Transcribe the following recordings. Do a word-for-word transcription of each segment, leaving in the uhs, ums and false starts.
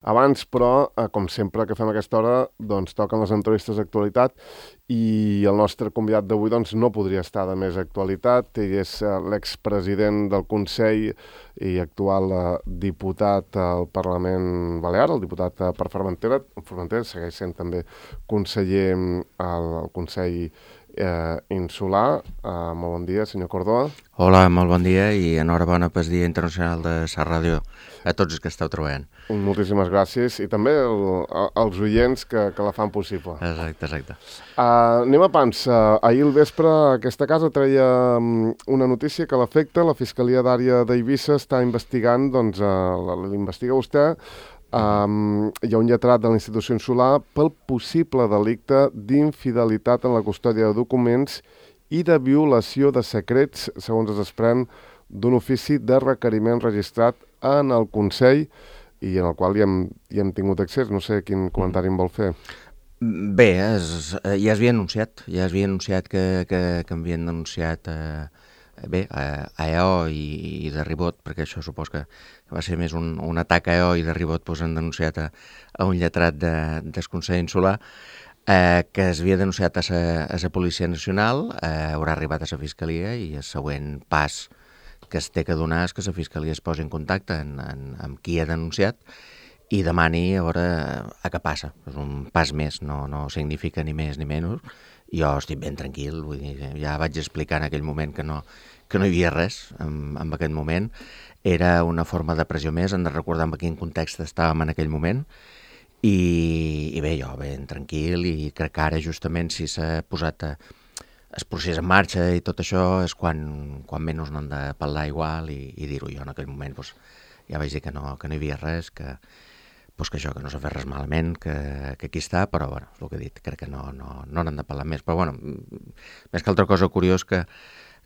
Abans, però, eh, com sempre que fem a aquesta hora, doncs toquen les entrevistes d'actualitat i el nostre convidat d'avui doncs, no podria estar de més actualitat. Ell és eh, l'expresident del Consell i actual eh, diputat al Parlament Balear, el diputat eh, per Formentera. Formentera segueix sent també conseller al, al Consell eh, Insular. Eh, molt bon dia, senyor Cordó. Hola, molt bon dia i enhorabona pel Dia Internacional de la Ràdio a tots els que esteu treballant. Moltíssimes gràcies i també el, els oients que, que la fan possible. Exacte, exacte. Uh, anem a pams. Uh, ahir al vespre aquesta casa treia um, una notícia que l'afecta. La Fiscalia d'Àrea d'Eivissa està investigant, doncs uh, l'investiga vostè. Um, hi ha un lletrat de la institució insular pel possible delicte d'infidelitat en la custòdia de documents i de violació de secrets, segons es desprèn d'un ofici de requeriment registrat en el Consell i en el qual hi hem, hi hem tingut accés. No sé quin comentari em vol fer. Bé, es, ja es havia anunciat, ja es havia anunciat que, que, que havien denunciat eh, bé, a, a E O i, i de ribot, perquè això supos que va ser més un, un atac a E O i de ribot doncs, han denunciat a, a un lletrat de, del Consell Insular eh, que es havia denunciat a la Policia Nacional, eh, haurà arribat a la Fiscalia i el següent pas que es té que donar és que la Fiscalia es posi en contacte en, en, amb qui ha denunciat i demani a veure a què passa. És un pas més, no, no significa ni més ni menys. Jo estic ben tranquil, vull dir, ja vaig explicar en aquell moment que no, que no hi havia res en, en aquell moment. Era una forma de pressió més, hem de recordar en quin context estàvem en aquell moment. I, i bé, jo ben tranquil i crec que ara justament si s'ha posat a el procés en marxa i tot això és quan, quan menys no hem de parlar igual i, i dir-ho. Jo en aquell moment doncs, ja vaig dir que no, que no hi havia res, que, doncs, que això, que no s'ha fet res malament, que, que aquí està, però bueno, és el que he dit, crec que no, no, no n'hem de parlar més. Però bueno, més que altra cosa curiós que,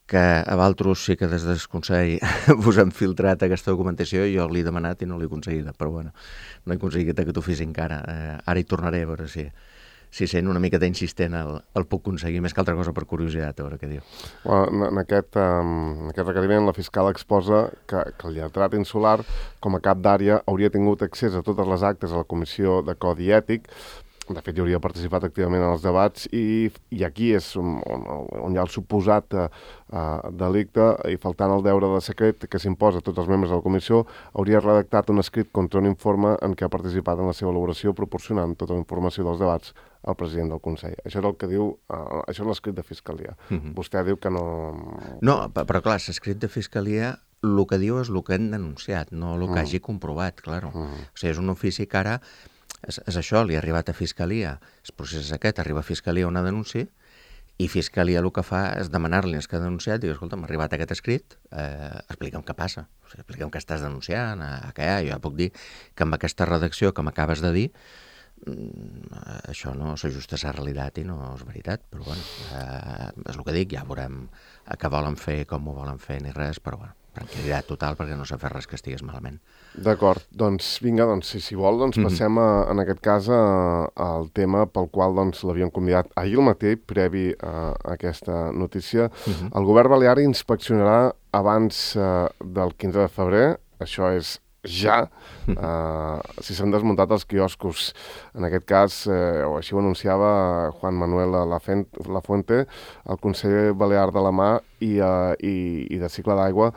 que a Valtros sí que des del Consell vos han filtrat aquesta documentació i jo l'he demanat i no l'he aconseguida, però bueno, no he aconseguit aquest ofici encara. Eh, ara hi tornaré a veure si... si sent una miqueta insistent el, el puc aconseguir, més que altra cosa per curiositat, a veure què diu. Bueno, en, aquest, um, en aquest requeriment la fiscal exposa que, que el lletrat insular, com a cap d'àrea, hauria tingut accés a totes les actes a la Comissió de Codi Ètic. De fet, hi hauria participat activament en els debats i, i aquí és on, on, on hi ha el suposat uh, delicte i faltant el deure de secret que s'imposa a tots els membres de la comissió, hauria redactat un escrit contra un informe en què ha participat en la seva elaboració proporcionant tota la informació dels debats al president del Consell. Això és el que diu, uh, això és l'escrit de Fiscalia. Uh-huh. Vostè diu que no... No, però clar, l'escrit de Fiscalia el que diu és el que han denunciat, no el que uh-huh. hagi comprovat, clar. Uh-huh. O sigui, és un ofici que ara és, és això, li ha arribat a Fiscalia, el procés és aquest, arriba a Fiscalia una denúncia i Fiscalia el que fa és demanar-li als que ha denunciat, diu, escolta, m'ha arribat aquest escrit, eh, explica'm què passa, o sigui, explica'm què estàs denunciant, a, a què hi ha, jo ja puc dir que amb aquesta redacció que m'acabes de dir això no s'ajusta a la realitat i no és veritat, però bueno, eh, és el que dic, ja veurem què volen fer, com ho volen fer ni res, però bueno, tranquil·litat total perquè no s'ha fet res que estigués malament. D'acord, doncs vinga, doncs, si, si vol, doncs passem a, en aquest cas a, al tema pel qual doncs, l'havíem convidat ahir al matí, previ a, a aquesta notícia. Uh-huh. El govern balear inspeccionarà abans uh, del quinze de febrer, això és ja, uh, si s'han desmuntat els quioscos. En aquest cas, eh, o així ho anunciava Juan Manuel Lafuente, el conseller balear de la Mar i, uh, i, i de Cicle d'Aigua,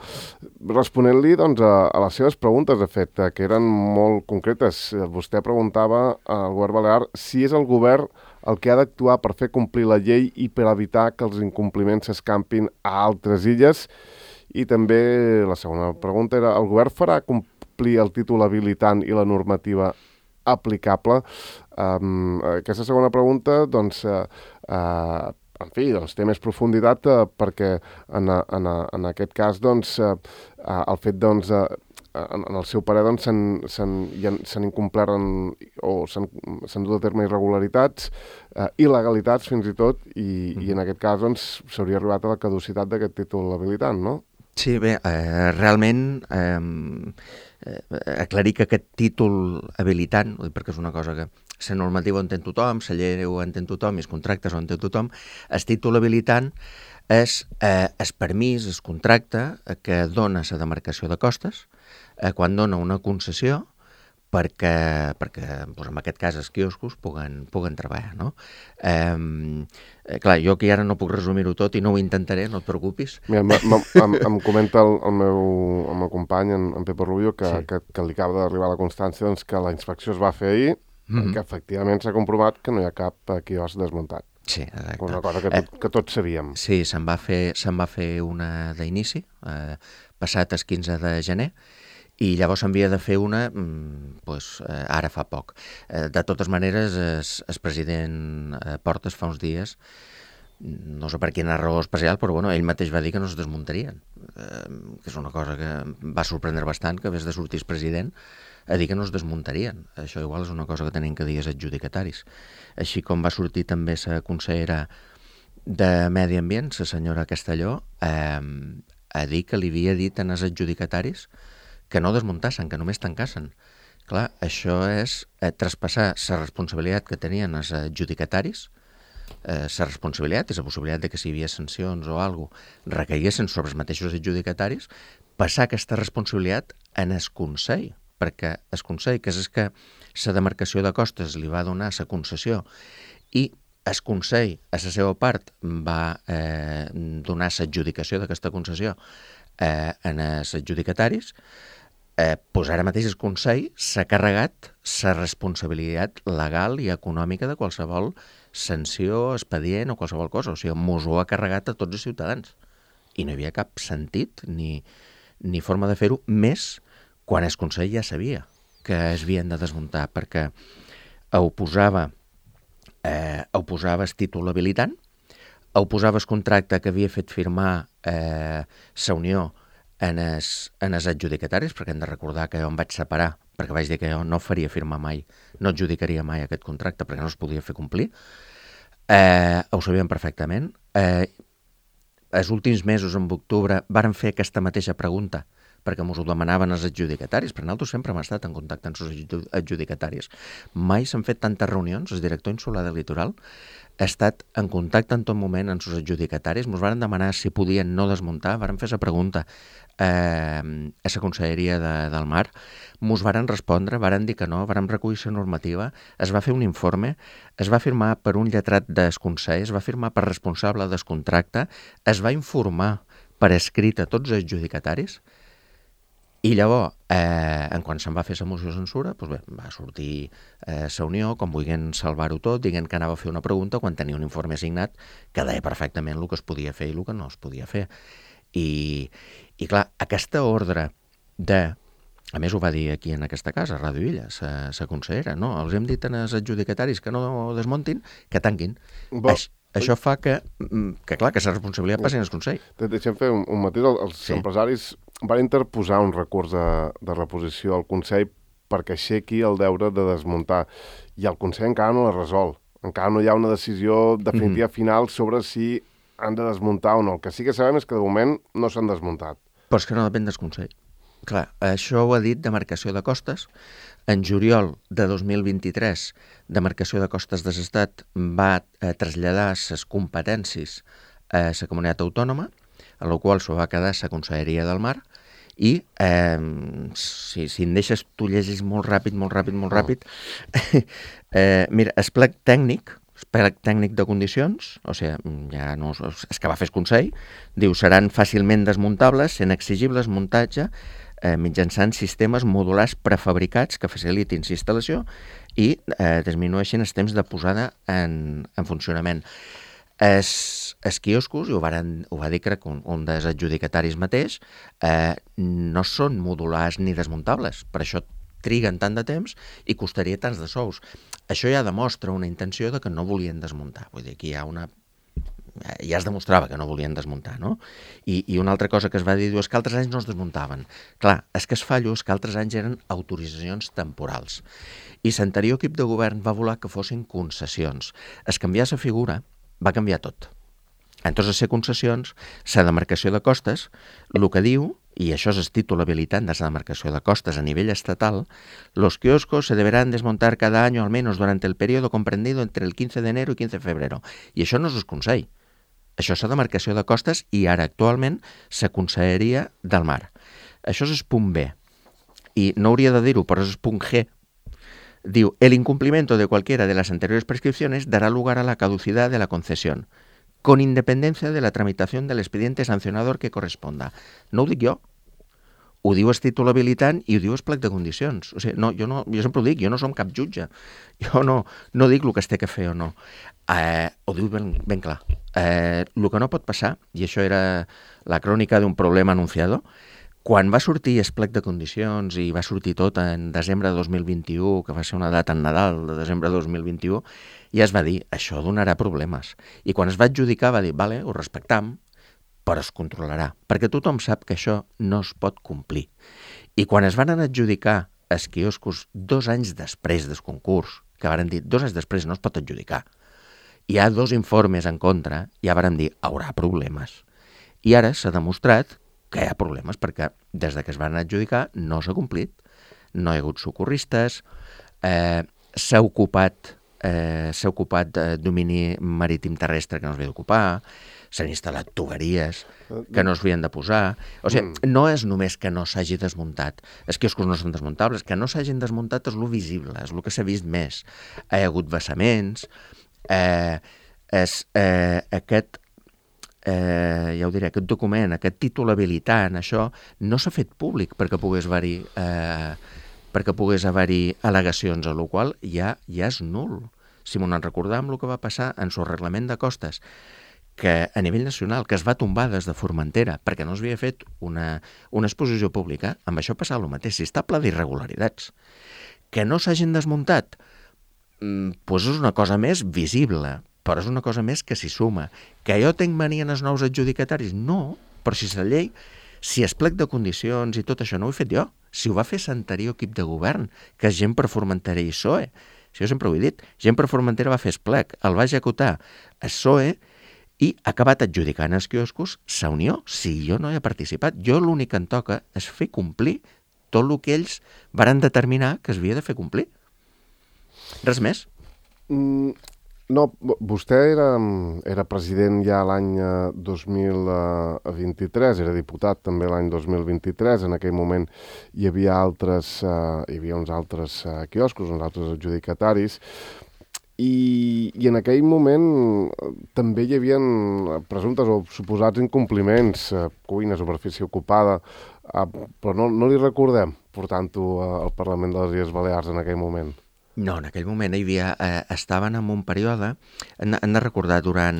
responent-li doncs, a, a les seves preguntes, de fet, que eren molt concretes. Vostè preguntava al govern balear si és el govern el que ha d'actuar per fer complir la llei i per evitar que els incompliments s'escampin a altres illes. I també la segona pregunta era, el govern farà complir el títol habilitant i la normativa aplicable? Um, aquesta segona pregunta, doncs, uh, uh, en fi, doncs, té més profunditat uh, perquè en, en, en aquest cas, doncs, uh, uh, el fet, doncs, uh, en, en el seu parer, doncs, s'han incomplert en, o s'han dut a terme irregularitats, uh, il·legalitats fins i tot, i, mm. i en aquest cas, doncs, s'hauria arribat a la caducitat d'aquest títol habilitant, no? Sí, bé, eh, realment eh, eh, aclarir que aquest títol habilitant, perquè és una cosa que la normativa ho entén tothom, la llei ho entén tothom i els contractes ho entén tothom, el títol habilitant és eh, el permís, el contracte que dona la demarcació de costes eh, quan dona una concessió perquè, perquè doncs en aquest cas els quioscos puguen, puguen treballar, no? Eh, eh, clar, jo aquí ara no puc resumir-ho tot i no ho intentaré, no et preocupis. Mira, m -m em, em comenta el, el, meu, el meu company, en, en Pepe Rubio, que, sí. que, que li acaba d'arribar la constància doncs, que la inspecció es va fer ahir mm -hmm. i que efectivament s'ha comprovat que no hi ha cap quiosc desmuntat. Sí, exacte. Una cosa que, tot, eh, que tots sabíem. Sí, se'n va fer, se'n va fer una d'inici, eh, passat el quinze de gener, i llavors s'havia de fer una pues, eh, ara fa poc. Eh, de totes maneres, el, el president eh, Portes fa uns dies, no sé per quina raó especial, però bueno, ell mateix va dir que no es desmuntarien, eh, que és una cosa que va sorprendre bastant, que hagués de sortir el president a dir que no es desmuntarien. Això igual és una cosa que tenim que dir als adjudicataris. Així com va sortir també la consellera de Medi Ambient, la senyora Castelló, eh, a dir que li havia dit als adjudicataris que no desmuntassin, que només tancassen. Clar, això és eh, traspassar la responsabilitat que tenien els adjudicataris, eh, la responsabilitat i la possibilitat de que si hi havia sancions o alguna cosa recaiguessin sobre els mateixos adjudicataris, passar aquesta responsabilitat en el Consell, perquè el Consell, que és el que la demarcació de costes li va donar la concessió i el Consell, a la seva part, va eh, donar l'adjudicació d'aquesta concessió eh, en els adjudicataris, eh, doncs ara mateix el Consell s'ha carregat la responsabilitat legal i econòmica de qualsevol sanció, expedient o qualsevol cosa. O sigui, mos ho ha carregat a tots els ciutadans. I no hi havia cap sentit ni, ni forma de fer-ho, més quan el Consell ja sabia que es havien de desmuntar, perquè ho posava, eh, ho posava el títol habilitant, ho posava el contracte que havia fet firmar eh, la Unió en els, en els adjudicataris, perquè hem de recordar que jo em vaig separar, perquè vaig dir que jo no faria firmar mai, no adjudicaria mai aquest contracte, perquè no es podia fer complir. Eh, ho sabien perfectament. Eh, els últims mesos, en octubre, varen fer aquesta mateixa pregunta, perquè ens ho demanaven els adjudicataris, però nosaltres sempre hem estat en contacte amb els adjudicataris. Mai s'han fet tantes reunions, el director insular del litoral ha estat en contacte en tot moment amb els adjudicataris, ens van demanar si podien no desmuntar, varen fer la pregunta eh, a la Conselleria de, del Mar, ens varen respondre, varen dir que no, varen recollir la normativa, es va fer un informe, es va firmar per un lletrat del Consell, es va firmar per responsable del contracte, es va informar per escrit a tots els adjudicataris. I llavors, eh, en quan se'n va fer la moció de censura, doncs bé, va sortir eh, la Unió, com volguent salvar-ho tot, dient que anava a fer una pregunta quan tenia un informe assignat que deia perfectament el que es podia fer i el que no es podia fer. I, i clar, aquesta ordre de... A més, ho va dir aquí en aquesta casa, a Ràdio Illa, la consellera, no? Els hem dit als adjudicataris que no desmuntin, que tanquin. Bo... Aix, això fa que, que, clar, que la responsabilitat passi al Consell. Deixem fer un, un matís. Els sí. empresaris van interposar un recurs de, de reposició al Consell perquè aixequi el deure de desmuntar. I el Consell encara no la resol. Encara no hi ha una decisió definitiva mm-hmm. final sobre si han de desmuntar o no. El que sí que sabem és que de moment no s'han desmuntat. Però és que no depèn del Consell. Clar, això ho ha dit Demarcació de Costes. En juliol de dos mil vint-i-tres, Demarcació de Costes de l'Estat va eh, traslladar les competències a la comunitat autònoma, a la qual s'ho va quedar la Conselleria del Mar, i eh, si, si em deixes, tu llegis molt ràpid, molt ràpid, molt ràpid. Oh. eh, mira, el plec tècnic, el plec tècnic de condicions, o sigui, ja no és que va fer el Consell, diu, seran fàcilment desmuntables, sent exigibles muntatge eh, mitjançant sistemes modulars prefabricats que facilitin la instal·lació i eh, disminueixin els temps de posada en, en funcionament. Els, els quioscos, i ho, varen, ho va dir crec un, un dels adjudicataris mateix, eh, no són modulars ni desmuntables, per això triguen tant de temps i costaria tants de sous. Això ja demostra una intenció de que no volien desmuntar, vull dir, que hi ha una... ja es demostrava que no volien desmuntar, no? I, i una altra cosa que es va dir és que altres anys no es desmuntaven. Clar, és que es fallo és que altres anys eren autoritzacions temporals. I l'anterior equip de govern va voler que fossin concessions. Es canviar la figura va canviar tot. Entonces, a ser concessions, la demarcació de costes, el que diu, y això és el títol habilitant de la demarcació de costes a nivell estatal, los kioscos se deberán desmontar cada año al menos durante el periodo comprendido entre el quince de enero y quince de febrero. I això no és el Consell. Això és la demarcació de costes i ara actualment la Conselleria del Mar. Això és el punt B. I no hauria de dir-ho, però és el punt G, Diu, el incumplimiento de cualquiera de las anteriores prescripciones dará lugar a la caducidad de la concesión, con independencia de la tramitación del expediente sancionador que corresponda. No ho dic jo, ho diu el títol habilitant i ho diu el plec de condicions. O sigui, no, jo, no, jo sempre ho dic, jo no som cap jutge. Jo no, no dic el que es té que fer o no. Eh, ho diu ben, ben clar. Eh, el que no pot passar, i això era la crònica d'un problema anunciado, quan va sortir el plec de condicions i va sortir tot en desembre de dos mil vint-i-u, que va ser una data en Nadal de desembre de dos mil vint-i-u, ja es va dir, això donarà problemes. I quan es va adjudicar va dir, vale, ho respectam, però es controlarà, perquè tothom sap que això no es pot complir. I quan es van adjudicar els quioscos dos anys després del concurs, que varen dir, dos anys després no es pot adjudicar, hi ha dos informes en contra, ja varen dir, haurà problemes. I ara s'ha demostrat que hi ha problemes, perquè des de que es van adjudicar no s'ha complit, no hi ha hagut socorristes, eh, s'ha ocupat, eh, s'ha ocupat eh, domini marítim terrestre que no s'havia d'ocupar, s'han instal·lat tuberies que no s'havien de posar. O sigui, mm. no és només que no s'hagi desmuntat, els quioscos no són desmuntables, que no s'hagin desmuntat és lo visible, és el que s'ha vist més. Hi ha hagut vessaments, eh, és, eh, aquest Eh, ja ho diré, aquest document, aquest títol habilitant, això no s'ha fet públic perquè pogués haver-hi eh, perquè pogués haver-hi al·legacions, a la qual ja, ja és nul. Si m'ho en recordam el que va passar en el reglament de costes, que a nivell nacional, que es va tombar des de Formentera perquè no s'havia fet una, una exposició pública, amb això passava el mateix, si està ple d'irregularitats. Que no s'hagin desmuntat, doncs és una cosa més visible, però és una cosa més que s'hi suma. Que jo tinc mania en els nous adjudicataris? No, però si és la llei, si es plec de condicions i tot això no ho he fet jo, si ho va fer l'anterior equip de govern, que és gent per Formentera i P S O E, si jo sempre ho he dit, gent per Formentera va fer el plec, el va executar el P S O E i ha acabat adjudicant els quioscos sa Unió, si jo no hi he participat. Jo l'únic que em toca és fer complir tot el que ells varen determinar que es havia de fer complir. Res més. Mm. No, vostè era, era president ja l'any dos mil vint-i-tres, era diputat també l'any dos mil vint-i-tres, en aquell moment hi havia altres, uh, hi havia uns altres uh, quioscos, uns altres adjudicataris, i, i en aquell moment també hi havia presumptes o suposats incompliments, uh, cuina, superfície ocupada, uh, però no, no li recordem portant-ho al Parlament de les Illes Balears en aquell moment. No, en aquell moment hi havia, eh, estaven en un període, hem, hem de recordar, durant...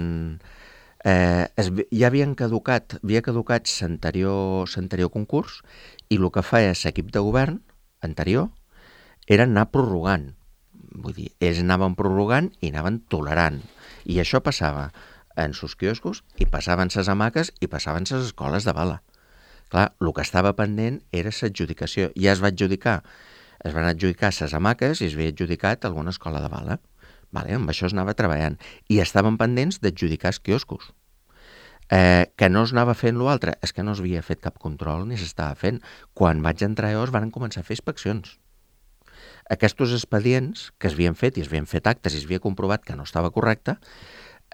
Eh, es, ja havien caducat, havia caducat l'anterior l'anterior concurs i el que feia l'equip de govern anterior era anar prorrogant. Vull dir, ells anaven prorrogant i anaven tolerant. I això passava en sus quioscos i passaven ses hamaques i passaven ses escoles de bala. Clar, el que estava pendent era l'adjudicació. Ja es va adjudicar es van adjudicar ses hamaques i es havia adjudicat alguna escola de bala. Vale, amb això es anava treballant. I estaven pendents d'adjudicar els quioscos. Eh, que no es anava fent l'altre, és que no es havia fet cap control ni s'estava fent. Quan vaig entrar jo es van començar a fer inspeccions. Aquests expedients que es havien fet i es havien fet actes i es havia comprovat que no estava correcte,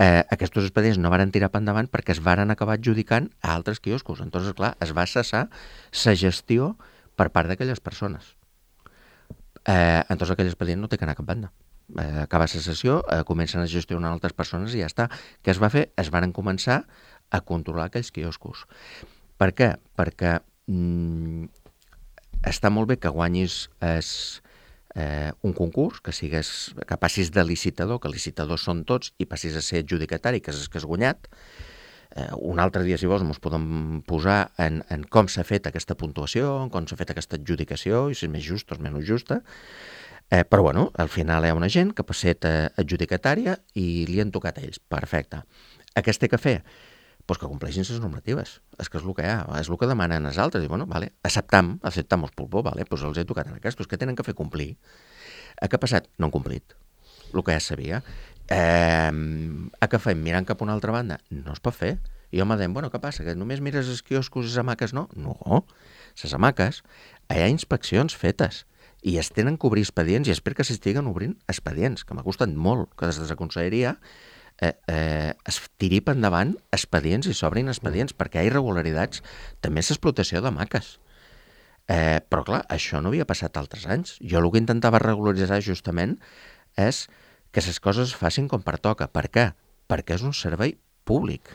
eh, aquests expedients no varen tirar per endavant perquè es varen acabar adjudicant a altres quioscos. Entonces, clar, es va cessar la gestió per part d'aquelles persones. Eh, entonces aquell expedient no té que anar a cap banda. Eh, acaba la sessió, eh, comencen a gestionar altres persones i ja està. Què es va fer? Es van començar a controlar aquells quioscos. Per què? Perquè mm, està molt bé que guanyis es, eh, un concurs, que sigues, que passis de licitador, que licitadors són tots, i passis a ser adjudicatari, que és el que has guanyat. Eh, un altre dia, si vols, ens podem posar en, en com s'ha fet aquesta puntuació, en com s'ha fet aquesta adjudicació, i si és més justa o és menys justa. Eh, però, bueno, al final hi ha una gent que ha passat eh, adjudicatària i li han tocat a ells. Perfecte. Què es té que fer? Pues que compleixin les normatives. És que és el que hi ha, és el que demanen els altres. I, bueno, vale, acceptam, acceptam els pulpó, vale, pues els he tocat en aquests, que tenen que fer complir. Eh, què ha passat? No han complit. El que ja sabia. Eh, a què fem? Mirant cap a una altra banda? No es pot fer. I jo m'ha dit, bueno, què passa? Que només mires els quioscos i les hamaques? No, no. Les hamaques, hi ha inspeccions fetes i es tenen que obrir expedients i espero que s'estiguen obrint expedients, que m'ha costat molt que des de la conselleria eh, eh, es tiri per endavant expedients i s'obrin expedients, perquè hi ha irregularitats. També és l'explotació d'hamaques. Eh, però, clar, això no havia passat altres anys. Jo el que intentava regularitzar justament és que les coses es facin com pertoca. Per què? Perquè és un servei públic.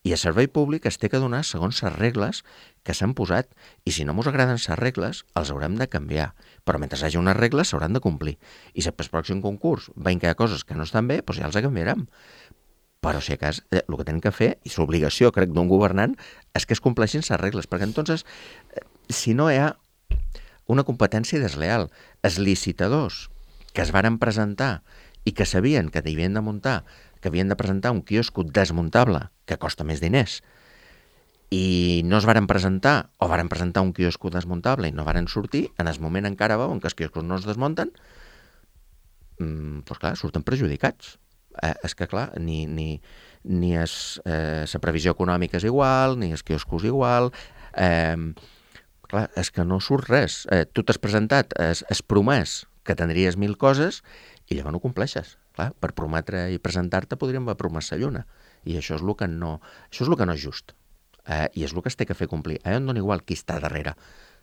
I el servei públic es té que donar segons les regles que s'han posat. I si no ens agraden les regles, els haurem de canviar. Però mentre hi hagi unes regles, s'hauran de complir. I si per pròxim concurs veiem que hi ha coses que no estan bé, doncs ja els canviarem. Però, si a cas, eh, el que tenen que fer, i l'obligació, crec, d'un governant, és que es compleixin les regles. Perquè, entonces, eh, si no hi ha una competència desleal, els licitadors que es varen presentar i que sabien que havien de muntar, que havien de presentar un quiosco desmuntable, que costa més diners, i no es varen presentar, o varen presentar un quiosco desmuntable i no varen sortir, en el moment encara veuen que els quioscos no es desmunten, mmm, doncs clar, surten perjudicats. Eh, és que, clar, ni, ni, ni es, eh, la previsió econòmica és igual, ni els quioscos igual, eh, clar, és que no surt res. Eh, tu t'has presentat, has, has promès que tindries mil coses i llavors no compleixes. Clar, per prometre i presentar-te podríem haver promès la lluna. I això és el que no, això és el que no és just. Eh, I és el que es té que fer complir. A mi em dona igual qui està darrere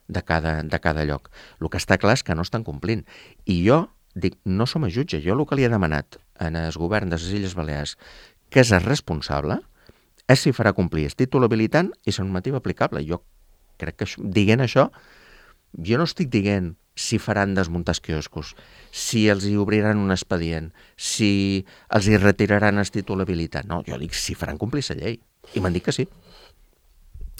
de cada, de cada lloc. El que està clar és que no estan complint. I jo dic, no som a jutge. Jo el que li he demanat en el govern de les Illes Balears, que és el responsable, és si farà complir el títol habilitant i la normativa aplicable. Jo crec que això, dient això, jo no estic dient si faran desmuntar els quioscos, si els hi obriran un expedient, si els hi retiraran el títol habilitant. No, jo dic si faran complir la llei. I m'han dit que sí.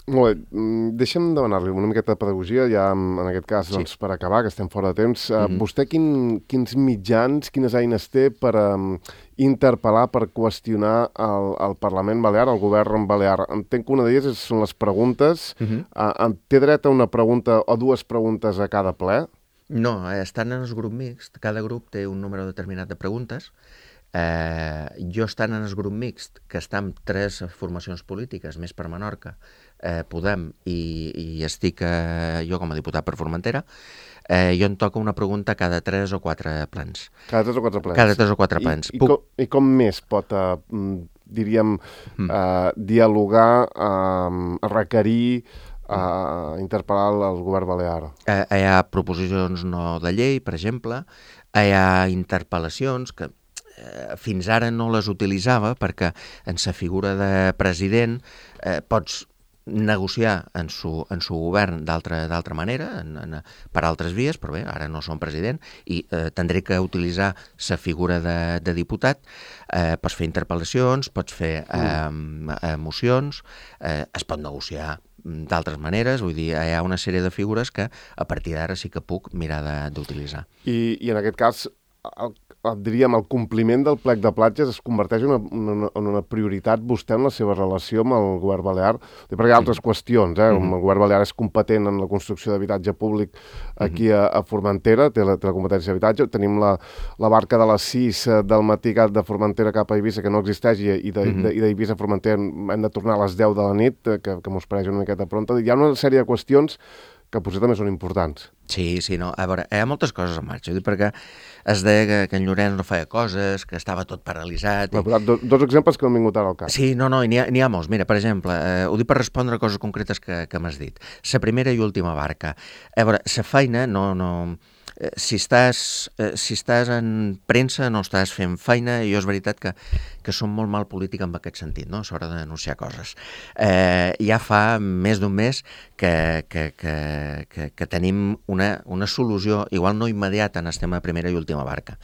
Molt bé, deixa'm demanar-li una miqueta de pedagogia, ja en aquest cas, sí. doncs, per acabar, que estem fora de temps. Mm-hmm. Vostè quin, quins mitjans, quines eines té per um, interpel·lar, per qüestionar el, el Parlament Balear, el govern balear? Entenc que una d'elles són les preguntes. Mm-hmm. Uh, té dret a una pregunta o dues preguntes a cada ple? No, estan en el grup mixt. Cada grup té un número determinat de preguntes. Eh, jo estant en el grup mixt, que està amb tres formacions polítiques, més per Menorca, eh, Podem, i, i estic eh, jo com a diputat per Formentera, eh, jo em toca una pregunta cada tres o quatre plens. Cada tres o quatre plens? Cada tres o quatre plens. I, i, Puc... com, i com més pot, uh, diríem, mm. uh, dialogar, uh, requerir, uh, interpel·lar el govern balear? Eh, hi ha proposicions no de llei, per exemple, hi ha interpel·lacions que fins ara no les utilitzava perquè en sa figura de president eh, pots negociar en su, en su govern d'altra manera, en, en, per altres vies, però bé, ara no som president i eh, tindré que utilitzar sa figura de, de diputat. Eh, pots fer interpel·lacions, pots fer eh, mocions, eh, es pot negociar d'altres maneres, vull dir, hi ha una sèrie de figures que a partir d'ara sí que puc mirar d'utilitzar. I, i en aquest cas, el, diríem, el compliment del plec de platges es converteix en una, una, en una prioritat vostè en la seva relació amb el govern balear? Perquè hi ha altres qüestions, eh? Mm-hmm. El govern balear és competent en la construcció d'habitatge públic aquí a, a Formentera, té la, té la competència d'habitatge. Tenim la, la barca de les sis del matí de Formentera cap a Eivissa, que no existeix, i, i d'Eivissa a Formentera hem de tornar a les deu de la nit, que, que mos pareix una miqueta pronta. Hi ha una sèrie de qüestions que potser també són importants. Sí, sí, no. A veure, hi ha moltes coses en marxa, perquè es deia que, que en Llorenç no feia coses, que estava tot paralitzat. I... Do, dos exemples que m'han vingut ara al cap. Sí, no, no, n'hi ha, ha molts. Mira, per exemple, eh, ho dic per respondre a coses concretes que, que m'has dit. La primera i última barca. A veure, la feina no... no eh, si, estàs, eh, si estàs en premsa no estàs fent feina, i jo és veritat que, que som molt mal polític en aquest sentit, no? A l'hora d'anunciar coses. Eh, ja fa més d'un mes que, que, que, que, que tenim una, una solució, igual no immediata, en el tema de primera i última barca.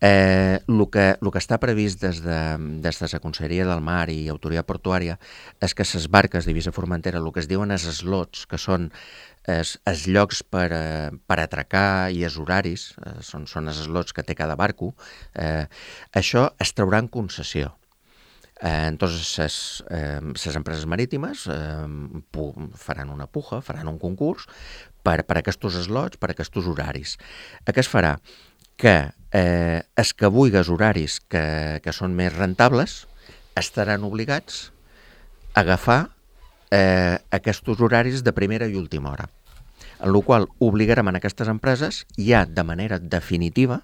Eh, el, que, el que està previst des de, des de la Conselleria del Mar i Autoria Portuària és que les barques d'Eivissa Formentera, el que es diuen els slots, que són els, els llocs per, per atracar i els horaris, eh, són, són els slots que té cada barco, eh, això es traurà en concessió. Eh, entonces, les eh, empreses marítimes eh, faran una puja, faran un concurs per, per aquests slots, per aquests horaris. Què es farà? Que eh, els que vulguis horaris que, que són més rentables estaran obligats a agafar eh, aquests horaris de primera i última hora, en la qual obligarem a aquestes empreses ja de manera definitiva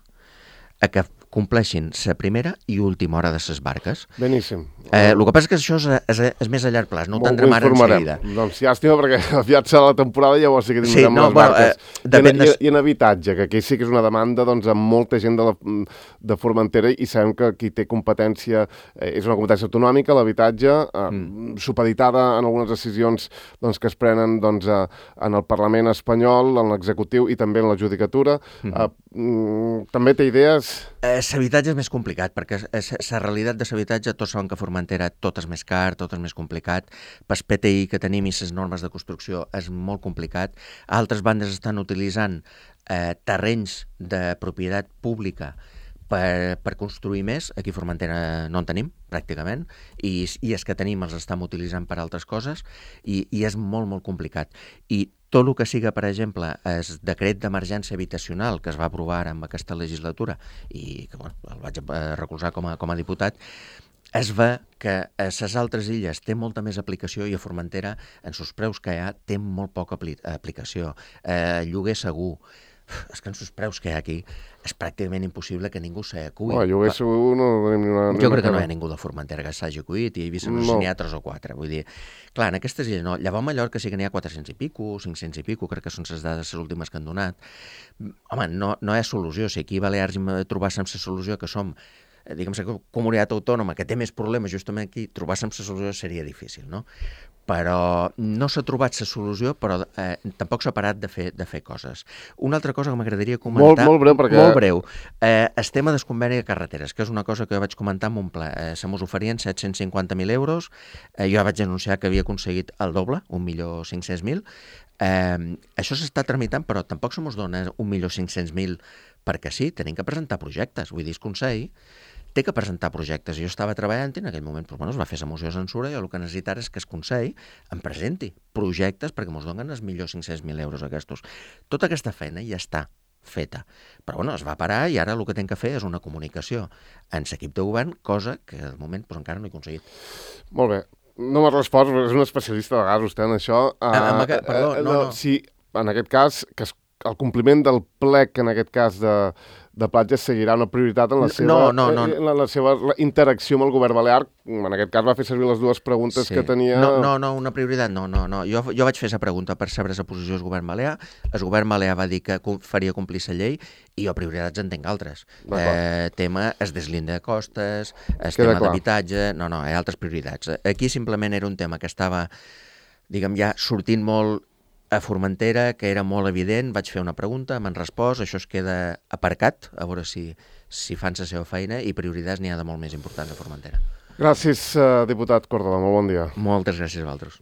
a que compleixin la primera i última hora de les barques. Beníssim. Eh, el que passa és que això és, és, és més a llarg plaç, no ho tindrem ara en seguida. Doncs llàstima, perquè aviat serà la temporada i llavors sí que tindrem sí, no, les bueno, barques. Eh, I, en, i, I en habitatge, que aquí sí que és una demanda doncs, amb molta gent de, la, de Formentera i sabem que qui té competència eh, és una competència autonòmica, l'habitatge, eh, mm. supeditada en algunes decisions doncs, que es prenen doncs, eh, en el Parlament espanyol, en l'executiu i també en la judicatura. Mm -hmm. eh, també té idees... L'habitatge és més complicat, perquè la realitat de l'habitatge, tots saben que a Formentera tot és més car, tot és més complicat. Pel P T I que tenim i les normes de construcció és molt complicat. Altres bandes estan utilitzant eh, terrenys de propietat pública per, per construir més. Aquí a Formentera no en tenim, pràcticament, i, i els que tenim els estem utilitzant per altres coses, i, i és molt, molt complicat. I tot el que siga, per exemple, el decret d'emergència habitacional que es va aprovar amb aquesta legislatura i que bueno, el vaig recolzar com a, com a diputat, es ve que a les altres illes té molta més aplicació i a Formentera, en els preus que hi ha, té molt poca apli aplicació. Eh, lloguer segur. És que en els preus que hi ha aquí és pràcticament impossible que ningú s'hi acuï. Oh, lloguer segur no tenim ni una... Jo crec que no hi ha ningú de Formentera que s'hagi acuït i he vist no. si n'hi ha tres o quatre. Vull dir, clar, en aquestes illes no. Llavors a Mallorca sí que n'hi ha quatre-cents i pico, cinc-cents i pico, crec que són les dades les últimes que han donat. Home, no, no hi ha solució. Si aquí a Balears trobàssim la solució que som diguem que comunitat autònoma que té més problemes justament aquí, trobar-se la solució seria difícil, no? Però no s'ha trobat la solució, però eh, tampoc s'ha parat de fer, de fer coses. Una altra cosa que m'agradaria comentar... Molt, molt breu, perquè... Molt breu. Eh, el tema del conveni de carreteres, que és una cosa que jo vaig comentar en un ple. Eh, se mos oferien set-cents cinquanta mil euros. Eh, jo vaig anunciar que havia aconseguit el doble, un milió cinc-cents mil. Eh, això s'està tramitant, però tampoc se mos dona un milió cinc-cents mil perquè sí, tenim que presentar projectes. Vull dir, el Consell té que presentar projectes. Jo estava treballant i en aquell moment doncs, bueno, es va fer la moció de censura i el que necessitava és que el Consell em presenti projectes perquè ens donen els millors cinc-cents mil euros aquests. Tota aquesta feina ja està feta. Però bueno, es va parar i ara el que hem que fer és una comunicació en l'equip de govern, cosa que de moment doncs, encara no he aconseguit. Molt bé. No m'ha respost, és un especialista de gas, vostè, en això. Uh, ah, que, perdó, uh, no, no. Si, en aquest cas, que es, el compliment del plec, en aquest cas, de, de platges, seguirà una prioritat en la seva, no, no, no. en la, la seva interacció amb el govern balear. En aquest cas va fer servir les dues preguntes sí. que tenia... No, no, no, una prioritat, no, no, no. Jo, jo vaig fer la pregunta per saber la posició del govern balear. El govern balear va dir que faria complir la llei i jo prioritats en tinc altres. Eh, tema es deslinde de costes, el Queda tema d'habitatge... No, no, hi ha altres prioritats. Aquí simplement era un tema que estava, diguem, ja sortint molt a Formentera, que era molt evident, vaig fer una pregunta, m'han respost, això es queda aparcat, a veure si, si fan la seva feina, i prioritats n'hi ha de molt més importants a Formentera. Gràcies, uh, diputat Córdoba, molt bon dia. Moltes gràcies a vosaltres.